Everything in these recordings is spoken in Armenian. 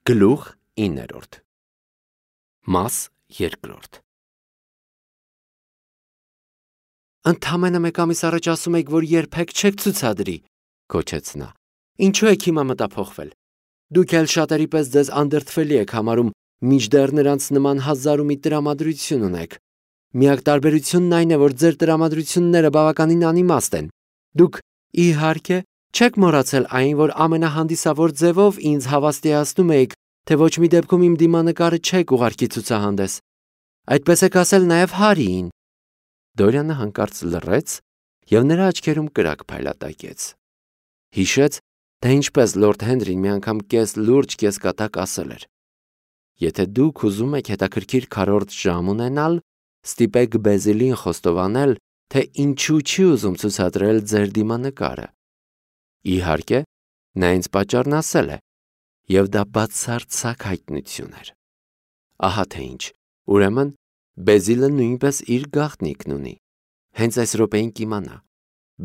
Գլուխ 9 Մաս 2 Ընդամենը մեկ ամիս առաջ ասում եք, որ երբեք չեք ցուցադրի, գոչեց նա։ Ինչու եք հիմա մտափոխվել։ Դուք էլ շատերի պես ձեզ անդրդվելի եք համարում, մինչդեռ նրանց նման հազար ու մի տրամադրություն ունեք։ Միակ տարբերությունն այն է, որ ձեր տրամադրությունները բավականին անիմաստ են։ Դուք, իհարկե, չեք մոռացել այն, որ ամենահանդիսավոր ձևով ինձ հավաստիացնում եք, թե ոչ մի դեպքում իմ դիմանկարը չեք ուղարկի ցուցահանդես։ Այդպես եք ասել նաև Հարիին։ Դորյանը հանկարծ լռեց և նրա աչքերում կրակ փայլատակեց։ Հիշեց, թե ինչպես լորդ Հենրին մի անգամ կես լուրջ, կես կատակ ասել էր. Եթե դուք ուզում եք հետաքրքիր քառորդ ժամ ունենալ, ստիպեք Բեզիլին խոստովանել, թե ինչու չի ուզում ցուցադրել ձեր դիմանկարը։ Իհարկե, նա ինձ պատճառն ասել է, և դա բացարձակ հայտնություն էր։ Ահա թե ինչ, ուրեմն Բեզիլը նույնպես իր գաղտնիքն ունի։ Հենց այս րոպեին կիմանա։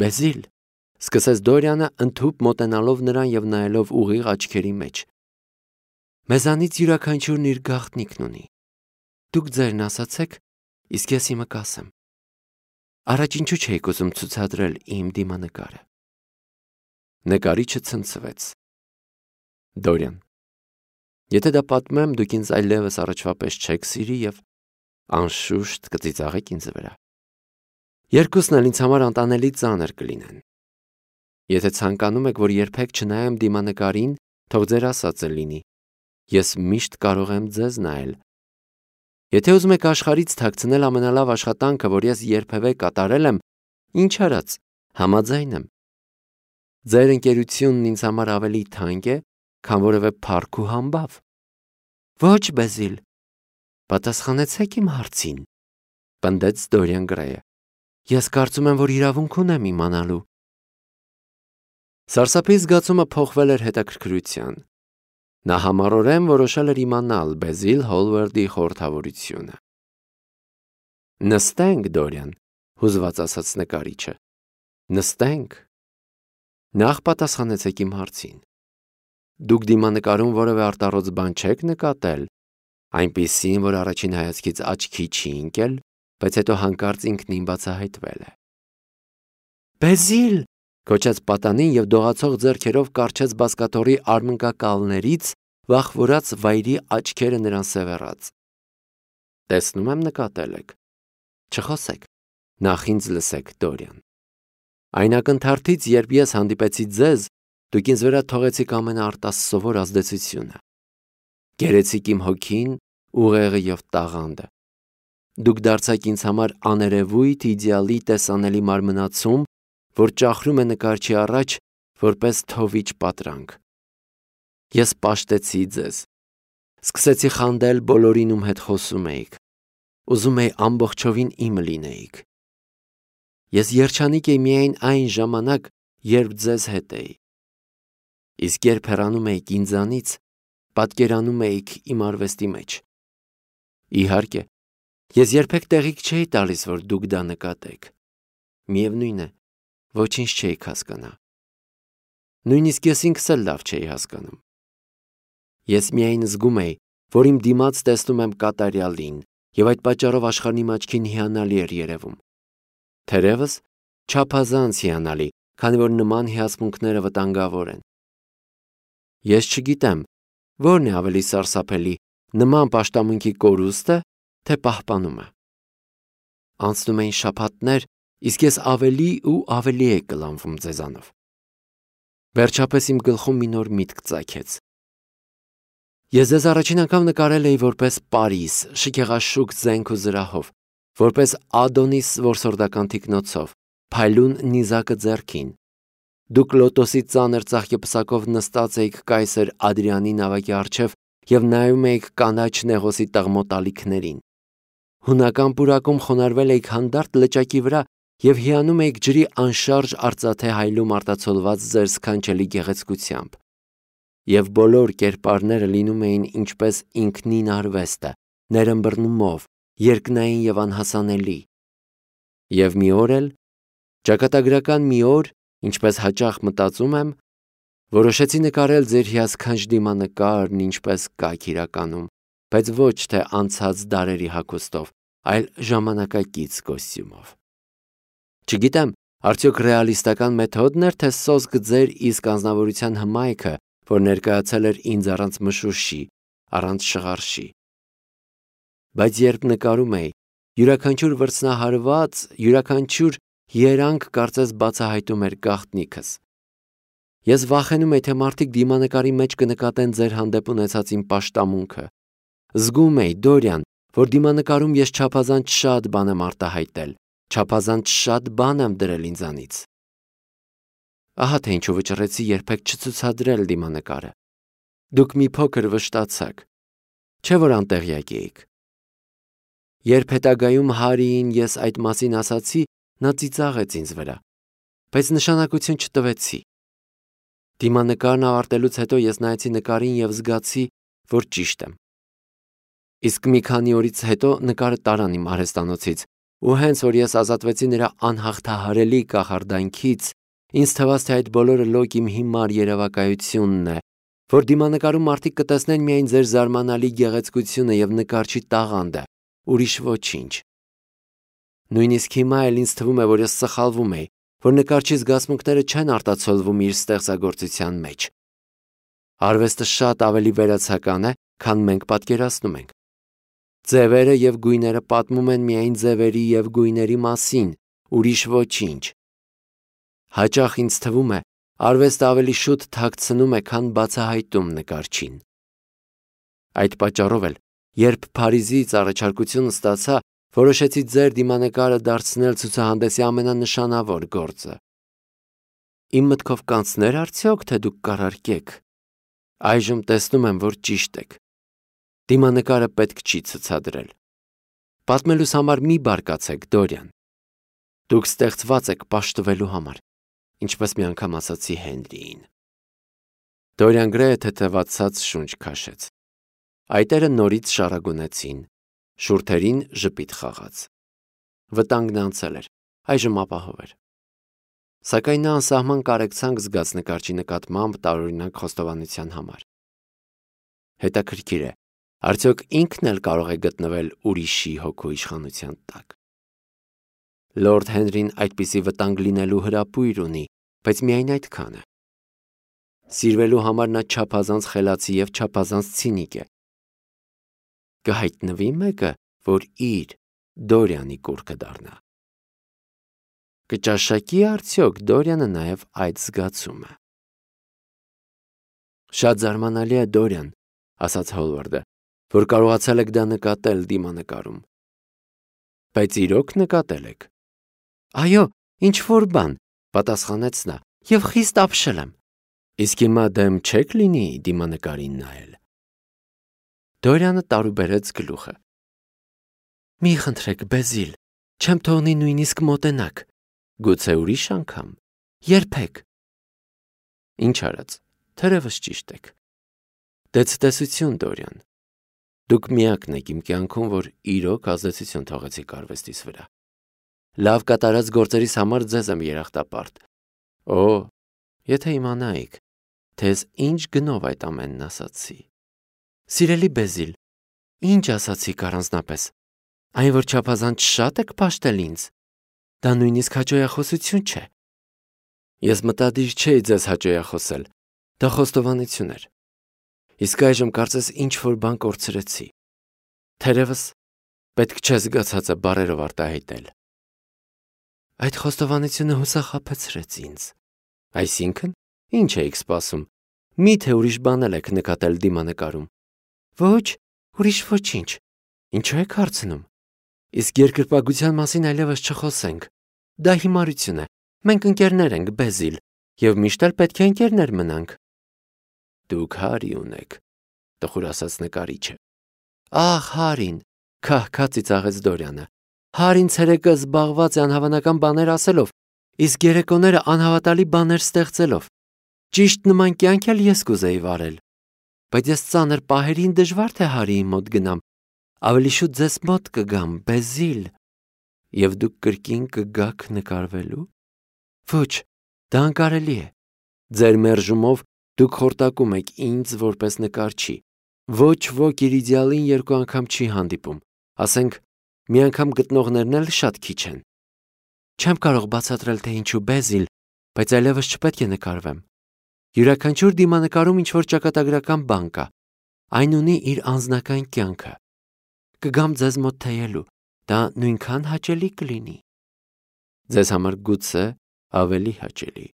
Բեզիլ, սկսեց Դորյանը ընդհուպ մոտենալով նրան և նայելով ուղիղ աչքերի մեջ։ Մեզանից յուրաքանչյուրն իր գաղտնիքն ունի։ Դուք ձերն ասացեք, իսկ ես իմը կասեմ։ Առաջ ինչու չէիք ուզում ցուցադրել իմ դիմանկարը։ Նկարիչը ցնցվեց։ Դորյան, եթե դա պատմեմ, դուք ինձ այլևս առաջվա պես չեք սիրի և անշուշտ կծիծաղեք ինձ վրա։ Երկուսն էլ ինձ համար անտանելի ծանր կլինեն։ Եթե ցանկանում եք, որ երբեք չնայեմ դիմանկարին, թող ձեր ասածը լինի։ Ես միշտ կարող եմ ձեզ նայել։ Եթե ուզում եք աշխարհից թաքցնել ամենալավ աշխատանքը, որ ես երբևէ կատարել եմ, ինչ արած, համաձայն եմ։ Ձեր ընկերությունն ինձ համար ավելի թանկ է, քան որևէ փառք ու համբավ։ Ոչ, Բեզիլ, պատասխանեցեք իմ հարցին, պնդեց Դորյան Գրեյը։ Ես կարծում եմ, որ իրավունք ունեմ իմանալու։ Սարսափի զգացումը փոխվել էր հետաքրքրության։ Նա համառորեն որոշել էր իմանալ Բեզիլ Հոլվարդի խորհրդավորությունը։ Նստենք, Դորյան, հուզված ասաց նկարիչը։ Նստենք։ Նախ պատասխանեցեք իմ հարցին։ Դուք դիմանկարում որևէ արտառոց բան չեք նկատել, այնպիսին, որ առաջին հայացքից աչքի չի ընկել, բայց հետո հանկարծ ինքնին բացահայտվել է։ Բեզիլ, գոչեց պատանին և դողացող ձեռքերով կառչեց բազկաթոռի արմնկակալներից, վախվորած վայրի աչքերը նրան սևեռած։ Տեսնում եմ նկատել եք։ Չխոսեք, նախ ինձ լսեք, Դորյան։ Այն ակնթարթից, երբ ես հանդիպեցի ձեզ, դուք ինձ վրա թողեցիք ամենաարտասովոր ազդեցությունը։ Գերեցիք իմ հոգին, ուղեղը և տաղանդը։ Դուք դարձաք ինձ համար աներևույթ իդեալի տեսանելի մարմնացում, որ ճախրում է նկարչի առաջ, որպես թովիչ պատրանք։ Ես պաշտեցի ձեզ։ Սկսեցի խանդել բոլորին, ում հետ խոսում էիք։ Ուզում էի ամբողջովին իմը լինեիք։ Ես երջանիկ էի միայն այն ժամանակ, երբ ձեզ հետ էի։ Իսկ երբ հեռանում էիք ինձանից, պատկերանում էիք իմ արվեստի մեջ։ Իհարկե, ես երբեք տեղիք չէի տալիս, որ դուք դա նկատեք։ Միևնույն է, ոչինչ չէիք հասկանա։ Նույնիսկ ես ինքս էլ լավ չէի հասկանում։ Ես միայն զգում էի, որ իմ դիմաց տեսնում եմ կատարյալին, և այդ պատճառով աշխարհն իմ աչքին հիանալի էր երևում։ Թերևս չափազանց հիանալի, քանի որ նման հիացմունքները վտանգավոր են։ Ես չգիտեմ, որն է ավելի սարսափելի, նման պաշտամունքի կորուստը, թե պահպանումը։ Անցնում էին շաբաթներ, իսկ ես ավելի ու ավելի էի կլանվում ձեզանով։ Վերջապես իմ գլխում մի նոր միտք ծագեց։ Ես ձեզ առաջին անգամ նկարել էի որպես Պարիս, շքեղաշուք զենք ու զրահով, որպես Ադոնիս որսորդական թիկնոցով, փայլուն նիզակը ձեռքին։ Դուք լոտոսի ծանր ծաղկեպսակով նստած էիք կայսր Ադրիանի նավակի առջև և նայում էիք կանաչ նեղոսի տղմոտ ալիքներին։ Հունական պուրակում խոնարհվել էիք հանդարտ լճակի վրա և հիանում էիք ջրի անշարժ արծաթե հայլում արտացոլված ձեր սքանչելի գեղեցկությամբ։ Եվ բոլոր կերպարները լինում էին ինչպես ինքնին արվեստը, ներըմբռնումով, երկնային և անհասանելի։ Եվ մի օր էլ, ճակատագրական մի օր, ինչպես հաճախ մտածում եմ, Որոշեցի նկարել ձեր հիասքանչ դիմանկարն ինչպես կայք իրականում, բայց ոչ թե անցած դարերի հագուստով, այլ ժամանակակից կոստյումով։ Չգիտեմ, արդյոք ռեալիստական մեթոդն էր, թե սոսկ ձեր իսկ անձնավորության հմայքը, որ ներկայացել էր ինձ առանց մշուշի, առանց շղարշի։ Բայց երբ նկարում էի, յուրաքանչյուր վրձնահարված, յուրաքանչյուր երանգ կարծես բացահայտում էր գաղտնիքս։ Ես վախենում էի, թե մարդիկ դիմանկարի մեջ կնկատեն ձեր հանդեպ ունեցած իմ պաշտամունքը։ Զգում էի, Դորյան, որ դիմանկարում ես չափազանց շատ բան եմ արտահայտել, չափազանց շատ բան եմ դրել ինձանից։ Ահա թե ինչու վճռեցի երբեք չցուցադրել դիմանկարը։ Դուք մի փոքր վշտացաք, չէ՞ որ անտեղյակ էիք։ Երբ հետագայում Հարիին ես այդ մասին ասացի, նա ծիծաղեց ինձ վրա, բայց նշանակություն չտվեցի։ Դիմանկարն ավարտելուց հետո ես նայեցի նկարին և զգացի, որ ճիշտ եմ։ Իսկ մի քանի օրից հետո նկարը տարան իմ արհեստանոցից, ու հենց որ ես ազատվեցի նրա անհաղթահարելի կախարդանքից, ինձ թվաց, թե այդ բոլորը լոկ իմ հիմար երևակայությունն է, որ դիմանկարում մարդիկ կտեսնեն միայն ձեր զարմանալի գեղեցկությունը և նկարչի տաղանդը, ուրիշ ոչինչ։ Նույնիսկ հիմա էլ ինձ թվում է, որ ես սխալվում էի, որ նկարչի զգացմունքները չեն արտացոլվում իր ստեղծագործության մեջ։ Արվեստը շատ ավելի վերացական է, քան մենք պատկերացնում ենք։ Ձևերը և գույները պատմում են միայն ձևերի և գույների մասին, ուրիշ ոչինչ։ Հաճախ ինձ թվում է, արվեստը ավելի շուտ թաքցնում է, քան բացահայտում նկարչին։ Այդ պատճառով էլ, երբ Փարիզից առաջարկություն ստացա, որոշեցի ձեր դիմանկարը դարձնել ցուցահանդեսի ամենանշանավոր գործը։ Իմ մտքով կանցներ արդյոք, թե դուք կառարկեք։ Այժմ տեսնում եմ, որ ճիշտ եք։ Դիմանկարը պետք չի ցուցադրել։ Պատմելուս համար մի բարկացեք, Դորյան։ Դուք ստեղծված եք պաշտվելու համար, ինչպես մի անգամ ասացի Հենրիին։ Դորյան Գրեյը թեթևացած շունչ քաշեց։ Այտերը նորից շարագունեցին, շուրթերին ժպիտ խաղաց։ Վտանգն անցել էր, այժմ ապահով էր։ Սակայն նա անսահման կարեկցանք զգաց նկարչի նկատմամբ տարօրինակ խոստովանության համար։ Հետաքրքիր է, արդյոք ինքն էլ կարող է գտնվել ուրիշի հոգու իշխանության տակ։ Լորդ Հենրին այդպիսի վտանգ լինելու հրապույր ունի, բայց միայն այդքան է։ Սիրվելու համար նա չափազանց խելացի և չափազանց ցինիկ է։ Կհայտնվի մեկը, որ իր Դորյանի կուռքը դառնա։ Կճաշակի արդյոք Դորյանը նաև այդ զգացումը։ Շատ զարմանալի է, Դորյան, ասաց Հոլվարդը, որ կարողացել եք դա նկատել դիմանկարում։ Բայց իրոք նկատել եք։ Այո, ինչ-որ բան, պատասխանեց նա, և խիստ ապշել եմ։ Իսկ հիմա դեմ չեք լինի դիմանկարին նայել։ Դորյանը տարուբերեց գլուխը։ Մի խնդրեք, Բեզիլ, չեմ թողնի նույնիսկ մոտենաք, գուցե ուրիշ անգամ, երբեք։ Ինչ արած, թերևս ճիշտ եք։ Դե ցտեսություն, Դորյան։ Դուք միակն եք իմ կյանքում, որ իրոք ազդեցություն թողեցիք արվեստիս վրա։ Լավ կատարած գործերիս համար ձեզ եմ երախտապարտ։ Օ, եթե իմանայիք, թե ինչ գնով այդ ամենն ասացի։ Սիրելի Բեզիլ, ինչ ասացիք առանձնապես։ Այն, որ չափազանց շատ եք պաշտել ինձ, դա նույնիսկ հաճոյախոսություն չէ։ Ես մտադիր չէի ձեզ հաճոյախոսել, դա խոստովանություն էր։ Իսկ այժմ կարծես ինչ-որ բան կորցրեցի։ Թերևս պետք չէ զգացածը բառերով արտահայտել։ Այդ խոստովանությունը հուսախաբեցրեց ինձ։ Այսինքն, ինչ էիք սպասում։ Մի՞թե ուրիշ բանել եք նկատել դիմանկարում։ Ոչ, ուրիշ ոչինչ։ Ինչու եք հարցնում։ Իսկ երկրպագության մասին այլևս չխոսենք։ Դա հիմարություն է։ Մենք ընկերներ ենք, Բեզիլ, և միշտ էլ պետք է ընկերներ մնանք։ Դուք Հարի ունեք, տխուր ասաց նկարիչը։ Ահ, Հարին, քահ-քահ ծիծաղեց Դորյանը։ Հարին ցերեկը զբաղված է անհավանական բաներ ասելով, իսկ երեկոները անհավատալի բաներ ստեղծելով։ Ճիշտ նման կյանք էլ ես կուզեի վարել։ Բայց ես ծանր պահերին դժվար թե Հարիի մոտ գնամ, ավելի շուտ ձեզ մոտ կգամ, Բեզիլ։ Եվ դուք կրկին կգաք նկարվելու։ Ոչ, դա անկարելի է։ Ձեր մերժումով Դուք խորտակում եք ինձ որպես նկարչի։ Ոչ ոք իր իդեալին 2 անգամ չի հանդիպում, ասենք մի անգամ գտնողներն էլ շատ քիչ են։ Չեմ կարող բացատրել, թե ինչու Բեզիլ, բայց այլևս չպետք է նկարվեմ։ Յուրաքանչյուր դիմանկարում ինչ-որ ճակատագրական բան կա։ Այն ունի իր անձնական կյանքը։ Կգամ ձեզ մոտ թեյելու, դա նույնքան հաճելի կլինի։ Ձեզ համար գուցե ավելի հաճելի։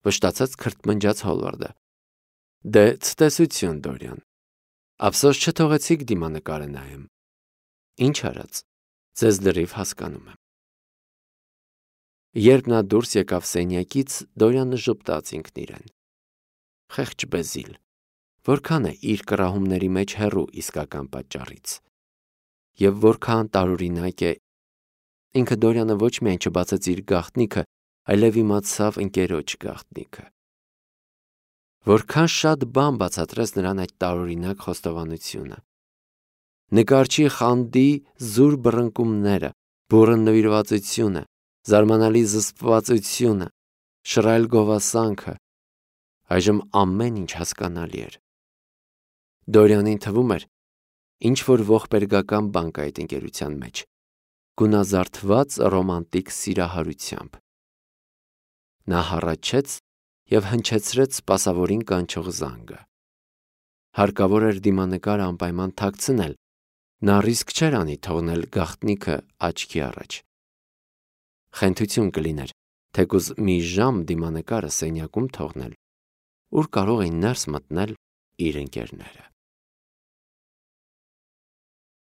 Վշտացած քրթմնջաց Հոլվարդը։ Դե ցտեսություն, Դորյան։ Ափսոս չթողեցիք դիմանկարը նայեմ։ Ինչ արած, ձեզ լրիվ հասկանում եմ։ Երբ նա դուրս եկավ սենյակից, Դորյանը ժպտաց ինքն իրեն։ Խեղճ Բեզիլ, որքան է իր կռահումների մեջ հեռու իսկական պատճառից։ Եվ որքան տարօրինակ է։ Ինքը Դորյանը ոչ միայն չբացեց իր գաղտնիքը, այլև իմացավ ընկերոջ գաղտնիքը։ Որքան շատ բան բացատրեց նրան այդ տարօրինակ խոստովանությունը։ Նկարչի խանդի զուր բռնկումները, բուռն նվիրվածությունը, զարմանալի զսպվածությունը, շռայլ գովասանքը, այժմ ամեն ինչ հասկանալի էր։ Դորյանին թվում էր, ինչ որ ողբերգական բան կա այդ ընկերության մեջ, գունազարդված ռոմանտիկ սիրահարությամբ։ Նա հառաչեց և հնչեցրեց սպասավորին կանչող զանգը։ Հարկավոր էր դիմանկարը անպայման թաքցնել, նա ռիսկ չէր անի թողնել գաղտնիքը աչքի առաջ։ Խենթություն կլիներ, թեկուզ մի ժամ դիմանկարը սենյակում թողնել, ուր կարող էին ներս մտնել իր ընկերները։